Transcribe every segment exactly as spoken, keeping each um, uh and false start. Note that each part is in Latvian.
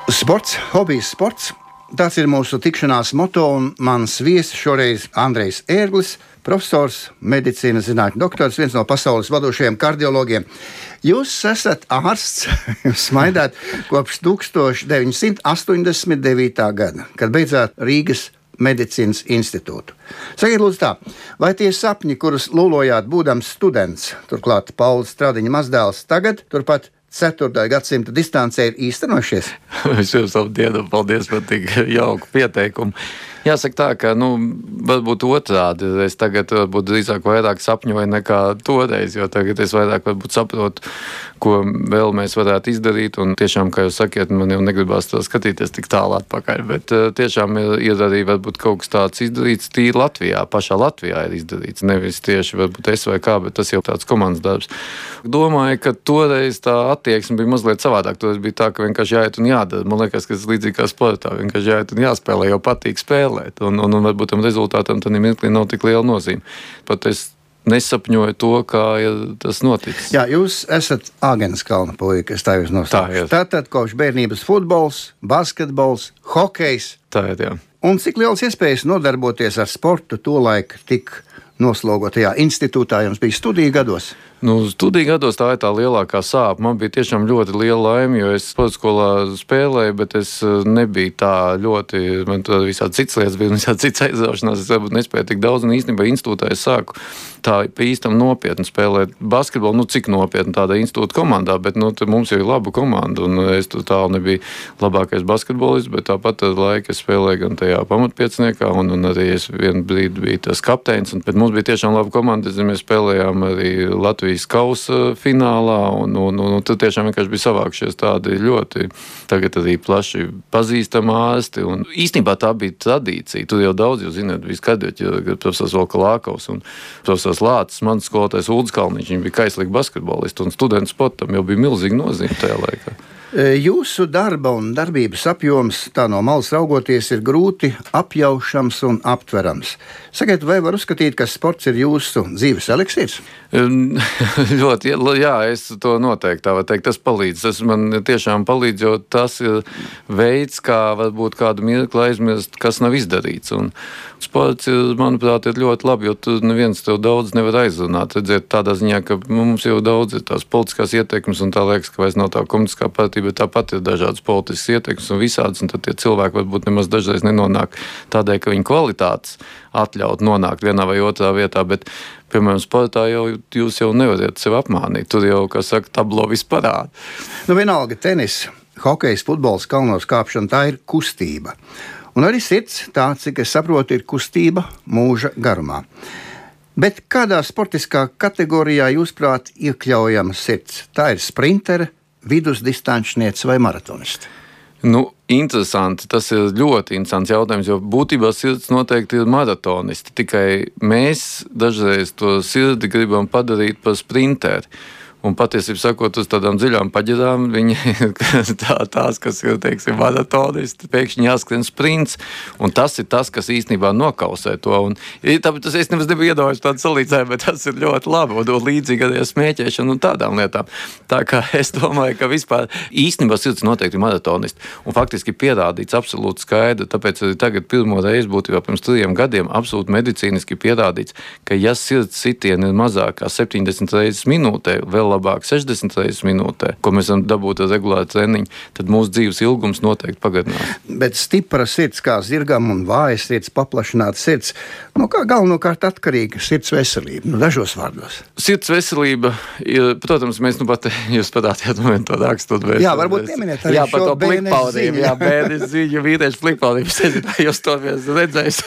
Sports, hobijs sports. Tas ir mūsu tikšanās moto, un mans viesis šoreiz Andrejs Ērglis, profesors, medicīnas zinātņu doktors, viens no pasaules vadošajiem kardiologiem. Jūs esat ārsts, jūs smaidāt kopš tūkstoš deviņsimt astoņdesmit devītā gada, kad beidzāt Rīgas medicīnas institūtu. Sakiet, lūdzu tā, vai tie sapņi, kurus lūlojāt būdams students, turklāt Pauls Stradiņa mazdēls, tagad turpat ceturtā gadsimta distancē ir īstenojušies? Es jums labdien, paldies par tik jauku pieteikumu. Jāsaka tā, ka, nu, varbūt otrādi. Es tagad varbūt drīzāk vairāk sapņoju nekā toreiz, jo tagad es vairāk varbūt saprotu, ko vēl mēs varētu izdarīt. Un tiešām, kā jūs sakiet, man jau negribās to skatīties tik tālu atpakaļ, bet tiešām ir, ir arī varbūt kaut kas tāds izdarīts tīri Latvijā. Pašā Latvijā ir izdarīts. Nevis tieši varbūt es vai kā, bet tas jau tāds komandas darbs. Domāju, ka toreiz tā attieksme bija mazliet savādāk. Toreiz bija tā, ka vienkārši jāiet un jādara. Man liekas, ka tas līdzīgi kā sportā. Vienkārši jāiet un jāspēlē, jo patīk spēlēt. Un, un, un varbūt tam rezultātam tad mirklī nav tik liela nozīme. Pat es nesapņoju to, kā ir tas noticis. Jā, jūs esat Āgenskalna puika, es tā jūs nosaucu. Tātad kopš bērnības futbols, basketbols, hokejs. Tā ir, jā. Un cik liels iespējas nodarboties ar sportu tolaik tik noslogotajā institūtā jums bija studiju gados? Nu, studiju gados tā ir tā lielākā sāpe. Man bija tiešām ļoti liela laime, jo es sporta skolā spēlēju, bet es nebiju tā ļoti, man tur visādi citas lietas bija, visādi citas aizraušanās, es varbūt nespēju tik daudz, un īstenībā institūtā es sāku tā pa īstam nopietni spēlēt basketbolu, nu cik nopietni tādā institūta komandā, bet nu, mums jau ir laba komanda, un es tur tālu nebiju labākais basketbolists, bet tāpat ar laiku es spēlēju gan tajā pamatpieciniekā, un, un arī es vienu brīdi biju tas kapteinis, un, bet mums bija tiešām laba komanda, mēs spēlējām arī Latvijas kausa finālā, un, un, un, un tad tiešām vienkārši bija savākšies tādi ļoti tagad arī plaši pazīstami ārsti, un īstenībā tā bija tradīcija. Tur jau daudz, jūs zināt, bija skaidroķi, profesors Volkalākovs un profesors Lācis, mans skolotājs Uldis Kalniņš, viņi bija kaislīgi basketbolisti, un studentu sportam jau bija milzīga nozīme tajā laikā. Jūsu darba un darbības apjoms, tā no malas raugoties, ir grūti apjaušams un aptverams. Sakiet, vai var uzskatīt, ka sports ir jūsu dzīves eliksīrs? Ļoti, jā, es to noteikti tā var teikt. Tas palīdz. Tas man tiešām palīdz, jo tas ir veids, kā varbūt kādu mirkli aizmirst, kas nav izdarīts. Un sports, ir, manuprāt, ir ļoti labi, jo tu neviens tev daudz nevar aizrunāt. Redziet, tādā ziņā, ka mums jau daudz ir tās politiskās ietekmes, un tā liekas, ka vairs nav tā komunistiskā partija, bet tāpat ir dažādas politiskas ietekmes un visādas, un tad tie cilvēki varbūt nemaz dažreiz nenonāk tādēļ, ka viņu kvalitātes atļaut nonākt vienā vai otrā vietā, bet, piemēram, sportā jau jūs jau nevariet sevi apmānīt. Tur jau, kā saka, tablo viss parāda. Nu, vienalga tenis, hokejs, futbols, kalnos kāpšana, tā ir kustība. Un arī sirds, tā, cik es saprotu, ir kustība mūža garumā. Bet kādā sportiskā kategorijā jūs prāt iekļaujama sirds? Tā ir sprintere, vidusdistančniece vai maratonisti? Nu, interesanti. Tas ir ļoti interesants jautājums, jo būtībā sirds noteikti ir maratonisti. Tikai mēs dažreiz to sirdi gribam padarīt par sprinteri. Un patiesībā sakot, uz tādām dziļām paģirām, viņi tā, tās, kas ir, teiksim, maratonisti, pēkšņi jāskrien sprints. Un tas ir tas, kas īstenībā nokausē to. Un, tāpēc tas es nemaz nebiju iedomājis tādu salīdzinājumu, bet tas ir ļoti labi. Un, un līdzīgi arī smēķēšana un tādām lietām. Tā kā es domāju, ka vispār īstenībā sirds noteikti ir maratonisti. Un faktiski pierādīts absolūti skaidri. Tāpēc arī tagad pirmo reizi būtībā pirms trījiem gadiem absolūti medicīniski pierādīts, ka ja sirds sitieni ir mazāk kā septiņdesmit reizes minūtē, vēl labāk sešdesmit reizes minūtē, ko mēs varam dabūt ar regulāru treniņu, tad mūsu dzīves ilgums noteikti pagarinās. Bet stipra sirds kā zirgam un vāja sirds, paplašināta sirds, no kā galvenokārt atkarīga sirds veselība, nu dažos vārdos. Sirds veselība ir, protams, mēs nu pat, jūs parādījāt man to rakstot. Jā, varbūt pieminiet arī jā, šo bērnes ziņu. Jā, bērnes ziņu, vīriešu plikpaudību, es nezinu, vai jūs to viens redzējis.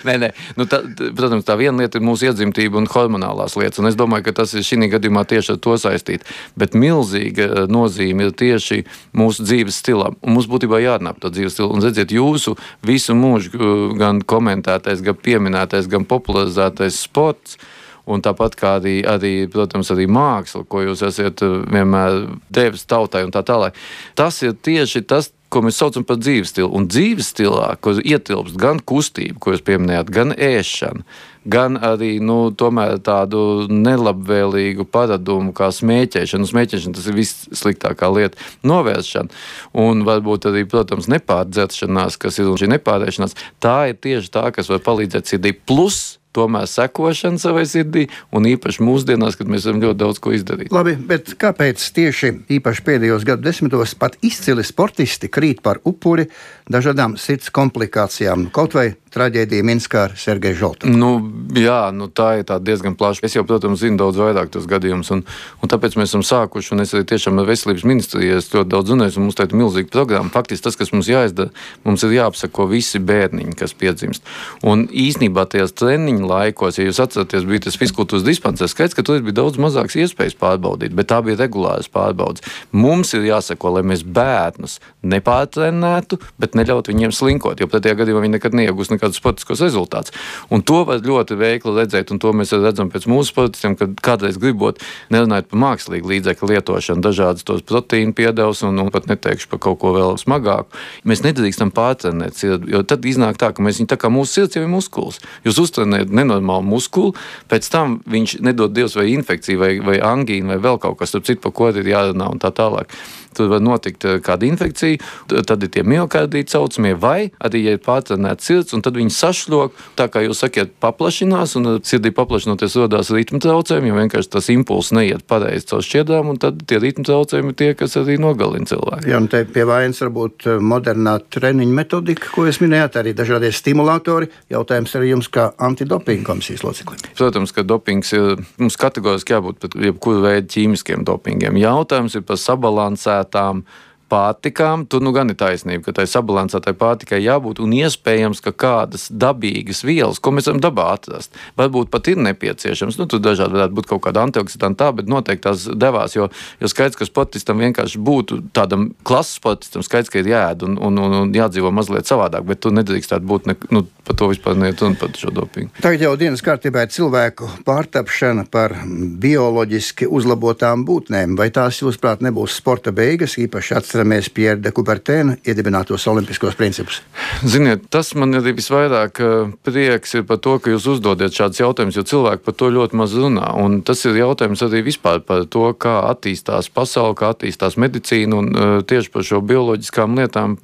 nē, nē, nu tā, protams, tā viena lieta ir mūsu iedzimtība un hormonālās lietas, un es domāju, ka tas ir šī gadījumā tieši ar to saistīt. Bet milzīga nozīme ir tieši mūsu dzīves stilam. Un mums būtībā jārunā par to dzīves stilu. Un redziet, jūsu visu mūžu gan komentētais, gan pieminētais, gan popularizētais sports, un tāpat kā arī, arī, protams, arī māksla, ko jūs esat vienmēr devis tautai un tā tālāk. Tas ir tieši tas, ko mēs saucam par dzīves stilu. Un dzīves stilā, ko ietilpst gan kustība, ko jūs pieminējāt, gan ēšana, gan arī nu, tomēr tādu nelabvēlīgu paradumu kā smēķēšana. Smēķēšana tas ir vissliktākā lieta. Novēršana un varbūt arī, protams, nepārdzeršanās, kas ir šī nepārēšanās, tā ir tieši tā, kas var palīdzēt sirdī. Plus tomēr sekošana savai sirdī, un īpaši mūsdienās, kad mēs varam ļoti daudz ko izdarīt. Labi, bet kāpēc tieši īpaši pēdējos gadu desmitos pat izcili sportisti krīt par upuri dažādām sirds komplikācijām, kaut vai traģēdija Minskā ar Sergeju Žoltovu? Nu, jā, nu tā ir tā diezgan plaša. Es jau, protams, zinu daudz vairāk tos gadījumus, un, un tāpēc mēs esam sākuši, un es arī tiešām ar veselības ministriju ļoti daudz runāju, un mums tā ir milzīga programma. Faktiski tas, kas mums jāizdara, mums ir jāapsako visi bērniņi, kas piedzimst. Un īsnībā tajās treniņu laikos, ja jūs atceraties, bija tas fizkultūras dispansers, skaidrs, ka tur bija daudz mazāks iespējas pārbaudīt, bet tā bija regulāras pārbaudas. Mums ir jāsako, lai mēs bērnus nepārtrenētu, bet neļaut viņiem slinkot, jo pretējā gadījumā viņi nekad neiegūs nekādus sportiskos rezultātus. Un to var ļoti veikli redzēt, un to mēs redzam pēc mūsu sportistiem, kad kādreiz gribot nerunāt par mākslīgu līdzekļu lietošanu, dažādas tos proteīnu piedevus, un, un pat neteikšu par kaut ko vēl smagāku. Mēs nedrīkstam pārtrenēt sirdi, jo tad iznāk tā, ka mēs viņu tā kā mūsu sirds jau ir muskulis. Jūs uztrenējat nenormālu muskuli, pēc tam viņš nedod Dievs vai infekciju, vai, vai angīnu, vai vēl kaut kas, tur citu, par ko ir jārunā un tā tālāk. Tur var notikt kāda infekcija, tad ir tie miokardīti saucamie, vai arī, ja ir pārtrenēta sirds, un tad viņi sašļok, tā kā jūs sakiet, paplašinās, un sirdī paplašinoties rodās ritmu traucējumi, jo vienkārši tas impulss neiet pareizi caur šķiedrām, un tad tie ritmu traucējumi ir tie, kas arī nogalina cilvēku. Jā, un te pie vainas varbūt modernā treniņa metodika, ko jūs minējāt, arī dažādie stimulatori. Jautājums arī jums kā antidopinga komisijas loceklim. Protams, ka dopings ir, mums kategoriski jābūt pat jebkuru veidu ķīmiskiem dopingiem. Jautājums ir par sabalansētām pārtikām. Tur nu gan ir taisnība, ka tai sabalansētai pārtikai jābūt, un iespējams, ka kādas dabīgas vielas, ko mēs varam dabā atrast, varbūt pat ir nepieciešams. Nu, tur dažādi varētu būt kaut kāda antioksidanti tā, bet noteikti tās devās, jo, jo skaidrs, ka sportistam vienkārši būtu tādam klases sportistam skaidrs, ka ir jāēd un, un, un, un jādzīvo mazliet savādāk, bet tu nedrīkstētu būt, ne, nu, par to vispār neiet un par šo dopingu. Tagad jau dienas kārtībā ir cilvēku pārtapšana par bioloģiski uzlabotām būtnēm. Vai tās, jūsuprāt, nebūs sporta beigas, īpaši atceramies Pierre de Coubertin iedibinātos olimpiskos principus? Ziniet, tas man arī visvairāk prieks ir par to, ka jūs uzdodiet šādus jautājumus, jo cilvēki par to ļoti maz runā. Un tas ir jautājums arī vispār par to, kā attīstās pasaule, kā attīstās medicīna, un uh, tieši par šo bioloģiskām lietām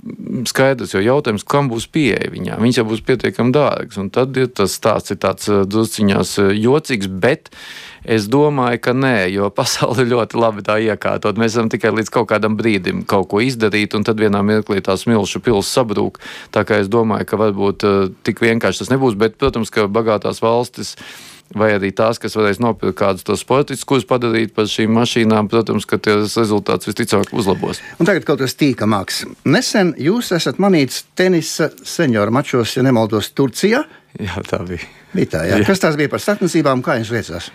skaidrs, jo jautājums, kam būs pieeja viņām. Viņas jau būs pietiekami dārgas, un tad ir tas stāsts ir tāds drusciņās jocīgs, bet es domāju, ka nē, jo pasaule ļoti labi tā iekārtot. Mēs varam tikai līdz kaut kādam brīdim kaut ko izdarīt, un tad vienā mirklī tā smilšu pils sabrūk. Tā kā es domāju, ka varbūt uh, tik vienkārši tas nebūs, bet, protams, ka bagātās valstis vai arī tās, kas varēs nopirkt kādus tos sportistus, kurus padarīt par šīm mašīnām, protams, ka tas rezultāts visticamāk uzlabos. Un tagad kaut kas tīkamāks. Nesen jūs esat manīts tenisa senioru mačos, ja nemaldos, Turcijā. Jā, tā bija. Bija tā, jā. Jā. Kas tās bija par sacensībām, kā jums veicās?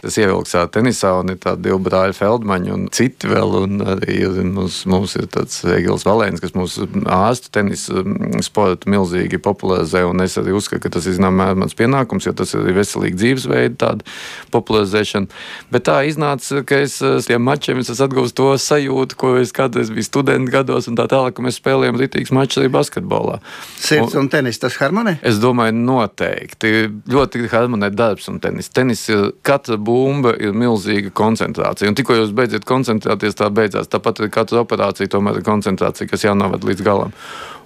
Tas ievilksā tenisā, un ir tādi divi brāļi Feldmaņi un citi vēl, un arī mums, mums ir tāds Egils Valēns, kas mūsu ārstu tenisa sportu milzīgi popularizē, un es arī uzskatu, ka tas ir zināmā mans pienākums, jo tas ir arī veselīgi dzīvesveidi tāda popularizēšana. Bet tā iznāca, ka es tiem mačiem es atgūstu to sajūtu, ko es kādreiz biju studenti gados, un tā tālāk, ka mēs spēlējam ritīgs mačs arī basketbolā. Sirds un, un tenis, tas harmonē? Es domāju, noteikti. Ļoti harmonē darbs un tenis. Tenis ir, katra bumba ir milzīga koncentrācija. Un tikko jūs beidziet koncentrēties, tā beidzās. Tāpat ir katra operācija, tomēr ir koncentrācija, kas jānovad līdz galam.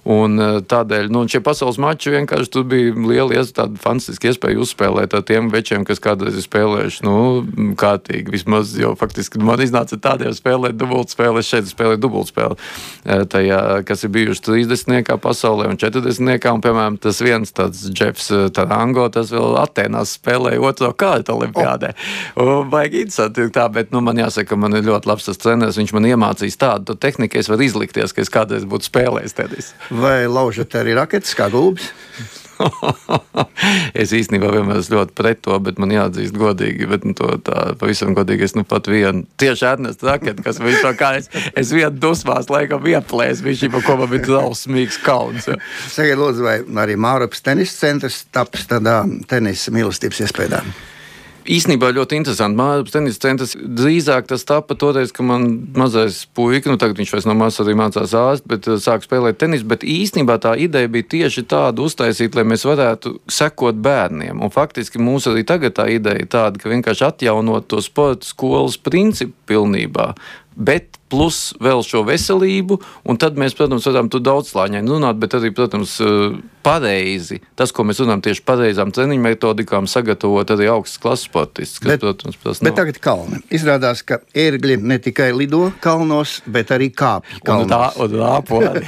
Un tādēļ, nu, šie pasaules mači vienkārši tur bija liela tāda fantastiska iespēja uzspēlēt ar tiem večiem, kas kādreiz ir spēlējuši, nu, kārtīgi vismaz, jo faktiski man iznāca tādiem spēlēt dubultspēli, es šeit spēlēju dubultspēli, tajā, kas ir bijuši trīsdesmitniekā pasaulē un četrdesmitniekā, un, piemēram, tas viens tāds Jeffs Tarango, tas vēl Atēnās spēlēja otro kārtu olimpiādē. Oh. Baigi interesanti tā, bet, nu, man jāsaka, man ir ļoti labs tas treneris, viņš man iemācījis tādu tehniku, es varu izlikties, ka es kādreiz būtu spēlējis tenis. Vai laužat arī raketes kā gulbis? Es īstenībā vienmēr esmu ļoti pret to, bet man jāatzīst godīgi, bet nu, to tā pavisam godīgi es nu pat vienu tieši atnestu raketi, kas viņš to kā es, es vienu dusmās laikam ieplēs, viņš jau ko man bija drausmīgs kauns. Sakiet, lūdzu, vai arī Mārupas tenis centrs taps tādā tenisa mīlestības iespējām? Īstenībā ļoti interesanti. Māras tenisa centrs drīzāk tas tapa toreiz, ka man mazais puika, nu tagad viņš vairs no mazas arī mācās ārst, bet sāk spēlēt tenisu, bet īstenībā tā ideja bija tieši tāda uztaisīt, lai mēs varētu sekot bērniem. Un faktiski mums arī tagad tā ideja ir tāda, ka vienkārši atjaunot to sporta skolas principu pilnībā, bet plus vēl šo veselību, un tad mēs, protams, varam tur daudzslāņaini runāt, bet arī, protams, pareizi, tas, ko mēs runājam tieši pareizām treniņu metodikām, sagatavot arī augstas klases sportistus, kas, bet, protams, tas bet nav. tagad kalni. Izrādās, ka ērgļi ne tikai lido kalnos, bet arī kāpj kalnos. Un rāpo arī.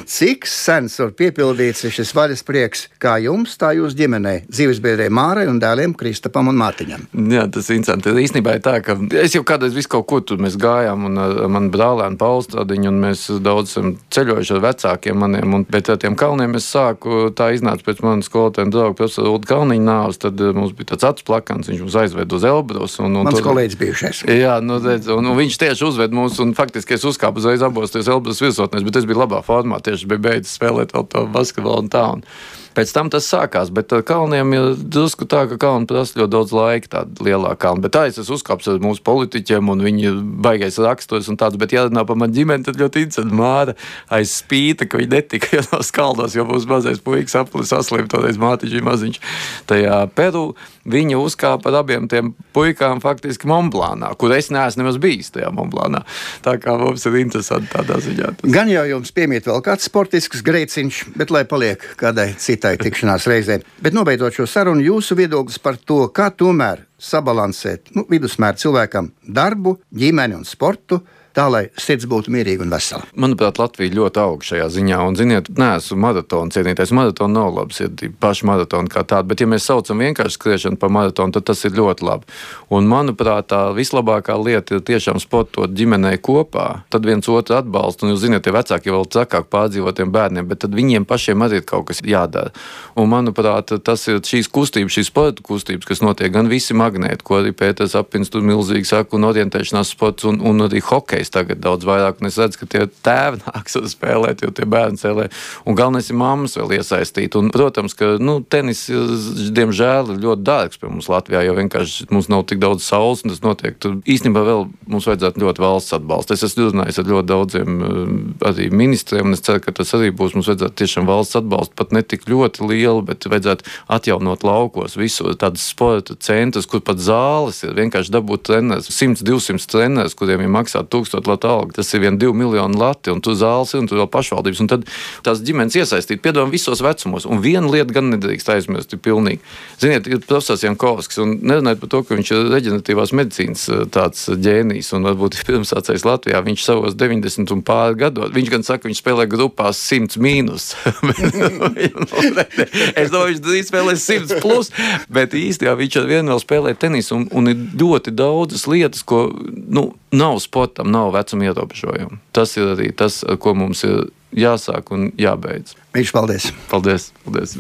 Cik sens var piepildīts šis vaļas prieks, kā jums, tā jūs ģimenei, dzīvesbiedrei Mārai un dēliem Kristapam un Mārtiņam? Jā, tas ir interesanti. Īstenībā ir tā, ka es jau kādreiz visu kaut kur tur mēs gājām, un ar manu brālēnu Paulu Stradiņu, un mēs daudz esam ceļojuši ar vecākiem maniem, un pēc tiem kalniem es sāku, tā iznāca pēc manas skolotāja drauga profesora Ulda Kalniņa nāves, tad mums bija tāds acs plakans, viņš mums aizved uz Elbrus. Un, un Mans tur, kolēģis bijušais. Jā, nu, redz, un, un viņš tieši uzved mūs, un faktiski es uzkāpu uzreiz abos tos Elbrus virsotnēs, bet es biju labā formā, tieši biju beidzis spēlēt vēl to basketbolu un tā. Un pēc tam tas sākās, bet ar kalniem ir drusku tā, ka kalni prasa ļoti daudz laika, tāda lielā kalna. Bet tā es esmu uzkāpis ar mūsu politiķiem, un viņi baigais raksturs un tāds, bet jārunā par manu ģimeni, tad ļoti interesanti. Māra aiz spīta, ka viņi netika jau no skaldos, jo mūsu mazais puikas aplis saslim, toreiz Mātiņš bija maziņš. Tajā Peru viņa uzkāpa ar abiem tiem puikām faktiski Monblānā, kur es neesmu nemaz bijis tajā Monblānā. Tā kā mums ir interesanti tādā ziņā. Tas. Gan jau jums piemīt vēl kāds sportisks greiciņš, bet lai paliek kādai citai tikšanās reizē. Bet nobeidzot šo sarunu, jūsu viedoklis par to, kā tomēr sabalansēt nu, vidusmēra cilvēkam darbu, ģimeni un sportu, tā, lai sirds būtu mierīga un vesela. Manuprāt, Latvija ļoti aug šajā ziņā, un, ziniet, neesmu maratonu cienītājs. Maratona nav labs, ir paši maratoni kā tādi, bet ja mēs saucam vienkārši skriešanu par maratonu, tad tas ir ļoti labi. Un, manuprāt, tā vislabākā lieta ir tiešām sportot ģimenei kopā, tad viens otru atbalstu, un jūs ziniet, tie vecāki vēl trakāk pārdzīvotiem bērniem, bet tad viņiem pašiem arī ir kaut kas jādara. Un, manuprāt, tas ir šīs kustības, šīs sporta kustības, kas notiek, gan visi magnēti, ko arī Pēters Apins tur milzīgi saka, un orientēšanās sports, un, un arī hokejs tagad daudz vairāk, un es redzu, ka tie tēvi nāks spēlēt, jo tie bērni spēlē, un galvenais ir mammas vēl iesaistīt. Un, protams, ka, nu, tenis, diemžēl, ir ļoti dārgs pie mums Latvijā, jo vienkārši mums nav tik daudz saules, un tas notiek. Tur īstenībā vēl mums vajadzētu ļoti valsts atbalstu. Es esmu runājis ar ļoti daudziem arī ministriem, un es ceru, ka tas arī būs. Mums vajadzētu tiešām valsts atbalstu, pat ne tik ļoti lielu, bet vajadzētu atjaunot laukos visu tādas sporta centrus, kur pat zāles ir vienkārši dabūt treneris, simts divsimt treneris, kuriem ir maksāt tūkstoši lata alga. Tas ir vien divi miljoni lati, un tur zāles ir, un tur vēl pašvaldības. Un tad tās ģimenes iesaistīt, piedāvājam visos vecumos. Un viena lieta gan nedrīkst aizmirst, ir pilnīgi. Ziniet, ir profesors Jankovskis, un nerunājot par to, ka viņš ir reģeneratīvās medicīnas tāds ģēnijs, un varbūt pirms sācējs Latvijā, viņš savos deviņdesmit un pāri gados, viņš gan saka, viņš spēlē grupās simts mīnus. Es domāju, viņš drīz spēlē simts plus, bet īstenībā viņš ar vienu vēl spēlē tenisu, un, un ir ļoti daudzas lietas, ko, nu, nav sportam, nav vecuma ierobežojumu. Tas ir arī tas, ko mums ir jāsāk un jābeidz. Mīļš, paldies! Paldies! Paldies!